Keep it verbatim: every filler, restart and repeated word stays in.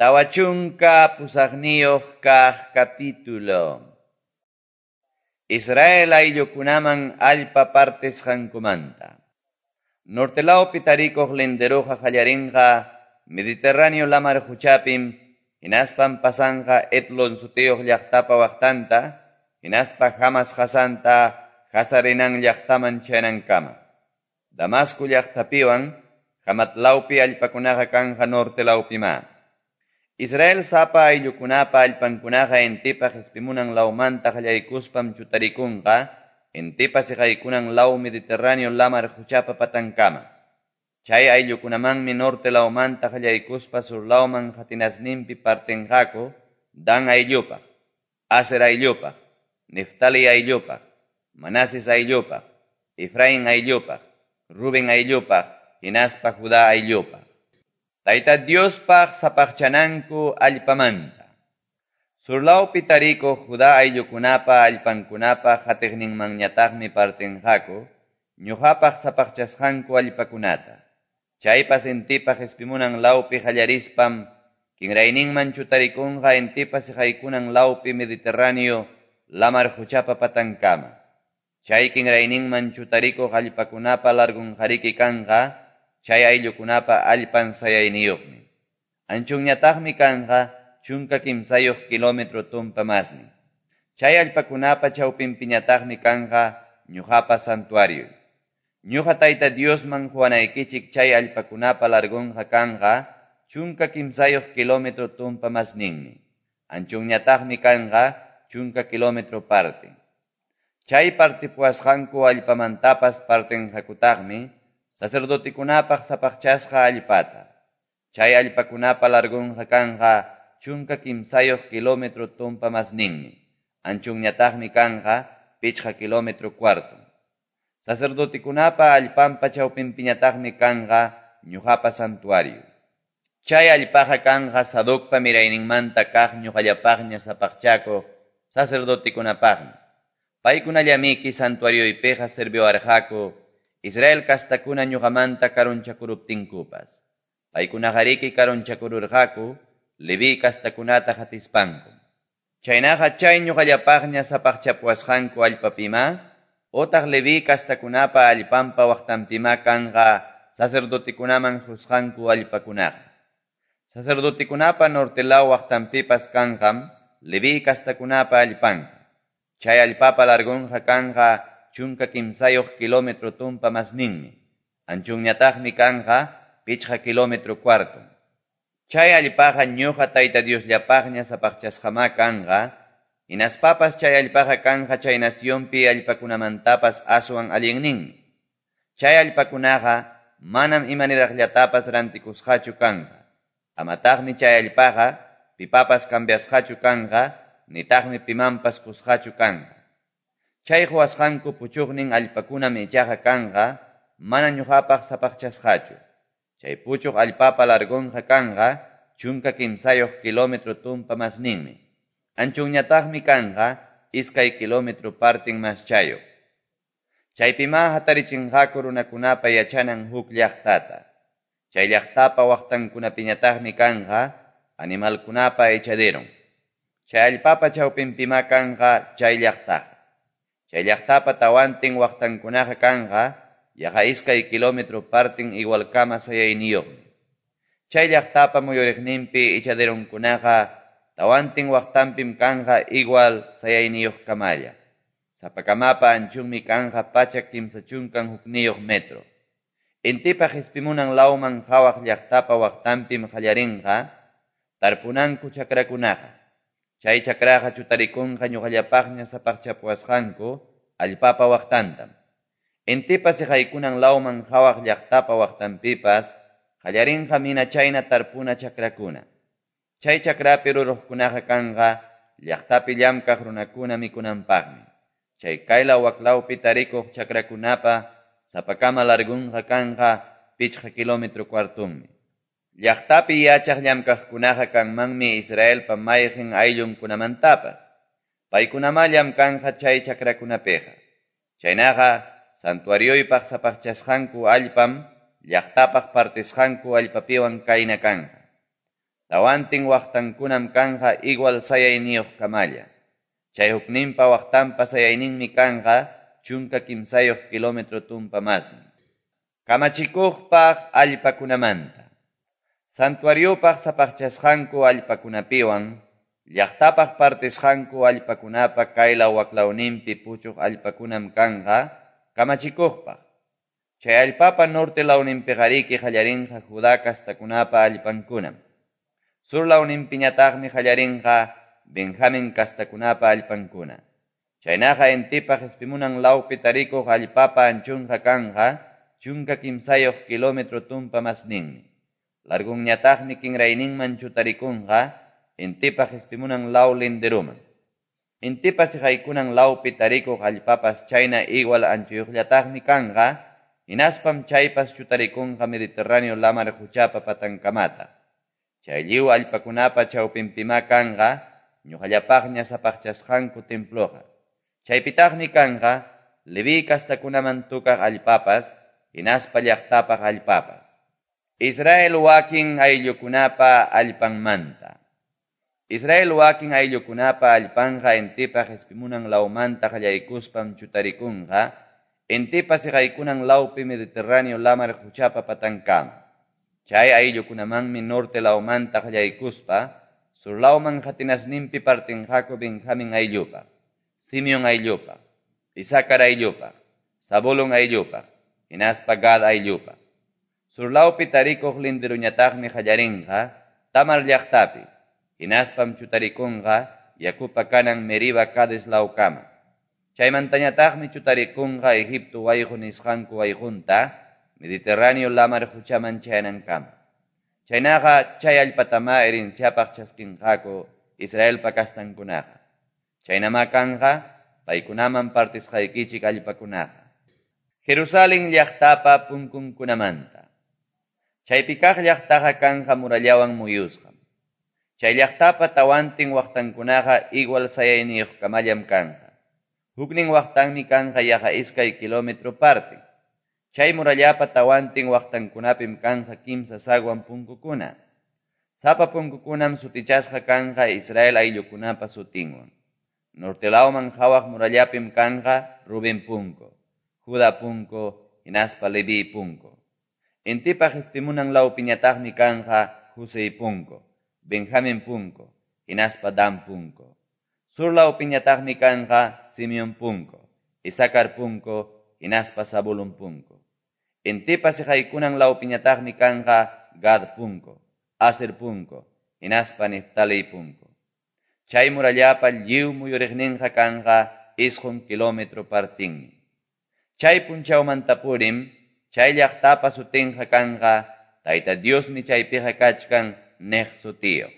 Tawa chunka pusaqniyuq kaq capítulo. Israel ayllukunaman allpa partisqankumanta. Norte lawpi tarikuq linderoqa qallarinqa Mediterráneo lamar quchapim, hinaspam pasanqa Etlon sutiyuq llaqtapa waqtanta, hinaspa Hamas qasanta Hazarenan llaqtaman chayanankama. Damasco llaqtapiwan Hamat lawpi allpakunaqa kanja norte lawpima. Israel sapa ayllukunapa allpankunaqa intipa qispimunan lawmanta qallaykuspam chutarikunqa, intipa siqaykunan law Mediterráneo lamar quchapa patankama. Chay ayllukunamanmi norte lawmanta qallaykuspa sur lawman qatinasninpi partinqaku Dan ayllupaq, Aser ayllupaq, Neftali ayllupaq, Manases ayllupaq, Efraín ayllupaq, Rubén ayllupaq, hinaspa Judá ayllupaq. Tayta Diospaq sapaqchananku allpamanta. Surlawpi tarikuq Judá ayllukunapa allpankunapa qatiqninmanñataqmi partinqaku ñuqapaq sapaqchasqanku allpakunata. Chaypas intipa qispimunan lawpi qallarispam kinrayninman chutarikunqa intipa siqaykunan lawpi Mediterráneo lamar quchapa patankama. Chay kinrayninman chutarikuq allpakunapa largunqariki kanqa chay ayllukunapa allpan sayayniyuqmi. Anchunñataqmi kanqa chunka kimsayuq kilómetro tumpa masnin. Chay allpakunapa chawpinpiñataqmi kanqa ñuqapa santuario. Ñuqa Tayta Diosman quwanaykichik chay allpakunapa largunqa kanqa chunka kimsayuq kilómetro tumpa masninmi. Anchunñataqmi kanqa chunka kilómetro parte. Chay partipuwasqanku allpamantapas partinqakutaqmi sacerdotekunapaq sapaqchasqa allpata. Chay allpakunapa largunqa kanqa chunka kimsayuq kilómetro tumpa masninmi. Anchunñataqmi kanqa pichqa kilómetro cuarto. Sacerdotekunapa allpanpa chawpinpiñataqmi kanqa ñuqapa santuario. Chay allpaqa kanqa Sadocpa mirayninmanta kaq ñuqallapaqña sapaqchakuq sacerdotekunapaqmi. Paykunallamiki santuarioypiqa serviwarqaku Israel kastakuna ñuqamanta karunchakuruptinkupas. Paykunaqariki karunchakururqaku Leví kastakunata qatispanku. Chaynaqa chay ñuqallapaqña sapaqchapuwasqanku allpapima, otaq Leví kastakunapa allpanpa waqtanpima kanqa sacerdotekunaman qusqanku allpakunaqa. Sacerdotekunapa norte law waqtanpipas kanqam Leví kastakunapa allpanqa. Chay allpapa largunqa kanqa chunka kimsayuq kilómetro tumpa masninmi. Anchunñataqmi kanqa pichqa kilómetro cuarto. Chay allpaqa ñuqa Tayta Diosllapaqña sapaqchasqama kanqa, hinaspapas chay allpaqa kanqa chay nacionpi allpakunamantapas aswan allinninmi. Chay allpakunaqa manam imaniraqllatapas rantikusqachu kanqa. Amataqmi chay allpaqa pipapas cambiasqachu kanqa, nitaqmi pimanpas qusqachu kanqa. Chay quwasqanku puchuqnin allpakunam ichaqa kanqa, mana ñuqapaq sapaqchasqachu. Chay puchuq allpapa largunqa kanqa chunka kimsayuq kilómetro tumpa masninmi. Anchunñataqmi kanqa iskay kilómetro partin maschayuq. Chaypima hatarichinqaku runakunapa yachanan huk llaqtata. Chay llaqtapa waqtankunapiñataqmi kanqa animalkunapa echaderon. Chay allpapa chawpinpima kanqa chay llaqtaqa. Chay llaqtapa tawantin waqtankunaqa kanqa yaqa iskay kilómetro partin igualkama sayayniyuqmi. Chay llaqtapa muyuriqninpi echaderonkunaqa tawantin waqtanpim kanqa igual sayayniyuqkamalla. Sapakamapa anchunmi kanqa pachak kimsa chunkan hukniyuq metro. Intipa qispimunan lawman qhawaq llaqtapa waqtanpim qallarinqa tarpunanku chakrakunaqa. Chay chakraqa chutarikunqa ñuqallapaqña sapaqchapuwasqanku allpapa waqtantam. Intipa siqaykunan lawman qhawaq llaqtapa waqtanpipas qallarinqa mina chayna tarpuna chakrakuna. Chay chakrapi ruruqkunaqa kanqa llaqtapi llamkaq runakuna mikunanpaqmi. Chay kaylaw waklawpi tarikuq chakrakunapa sapakama largunqa kanqa pichqa kilómetro cuartunmi. Llaqtapi yachaq llamkaqkunaqa kanmanmi Israelpa mayqin ayllunkunamantapas. Paykunama llamkanqa chay chakrakunapiqa. Chaynaqa santuarioypaq sapaqchasqanku allpam llaqtapaq partisqanku allpapiwan kayna kanqa. Tawantin waqtankunam kanqa igual sayayniyuqkamalla. Chay hukninpa waqtanpa sayayninmi kanqa chunka kimsayuq kilómetro tumpa masnin. Kamachikuqpaq allpakunamanta. Santuariopaq sapaqchasqanku allpakunapiwan, llaqtapaq partisqanku allpakunapa kaylaw waklawninpi puchuq allpakunam kanqa kamachikuqpaq. Chay allpapa norte lawninpiqariki qallarinqa Judá kastakunapa allpankunam. Sur lawninpiñataqmi qallarinqa Benjamín kastakunapa allpankuna. Chaynaqa intipa qispimunan lawpi tarikuq allpapa anchunqa kanqa chunka kimsayuq kilómetro tumpa masninmi. Largunñataqmi kinrayninman chutarikunqa intipa qispimunan law linderuman. Intipa siqaykunan lawpi tarikuq allpapas chayna igual anchuyuqllataqmi kanqa, hinaspam chaypas chutarikunqa Mediterráneo lamar quchapa patankamata. Chay lliw allpakunapa chawpinpimá kanqa ñuqallapaqña sapaqchasqanku temploqa. Chaypitaqmi kanqa Leví kastakunaman tukaq allpapas, hinaspa llaqtapaq allpapas. Israel wakin ayllukunapa allpanmanta. Israel wakin ayllukunapa allpanqa intipa qispimunan lawmanta qallaykuspam chutarikunqa, intipa siqaykunan lawpi Mediterráneo lamar quchapa patankama. Chay ayllukunamanmi norte lawmanta qallaykuspa, sur lawman qatinasninpi partinqaku Benjamín ayllupaq, Simeón ayllupaq, Isacar ayllupaq, Zabulón ayllupaq, hinaspa Gad ayllupaq. Sur lawpi tarikuq linderuñataqmi qallarinqa Tamar llaqtapi, hinaspam chutarikunqa yakupa kanan Meriba Cades lawkama. Chaymantañataqmi chutarikunqa Egipto wayqu nisqanku wayqunta Mediterráneo lamar quchaman chayanankama. Chaynaqa chay allpatamá herenciapaq chaskinqaku Israelpa kastankunaqa. Chaynamá kanqa paykunaman partisqaykichik allpakunaqa. Jerusalén llaqtapa punkunkunamanta. Chaypi kaq llaqtaqa kanqa murallawan muyusqam. Chay llaqtapa tawantin waqtankunaqa igual sayayniyuqkamallam kanqa. Huknin waqtanmi kanqa yaqa iskay kilómetro parte. Chay murallapa tawantin waqtankunapim kanqa kimsa sagwan punkukuna. Sapa punkukunam sutichasqa kanqa Israel ayllukunapa sutinwan. Norte lawman qhawaq murallapim kanqa Rubén punku, Judá punku, hinaspa Leví punku. Intipa qispimunan lawpiñataqmi kanqa José punku, Benjamín punku, hinaspa Dan punku. Sur lawpiñataqmi kanqa Simeón punku, Isacar punku, hinaspa Zabulón punku. Intipa siqaykunan lawpiñataqmi kanqa Gad punku, Aser punku, hinaspa Neftalí punku. Chay murallapa lliw muyuriqninqa kanqa isqun kilómetro partinmi. Chay punchawmantapurim, chay llaqtapa sutinqa kanqa Tayta Diosmi chaypiqa kachkan niq sutiyuq.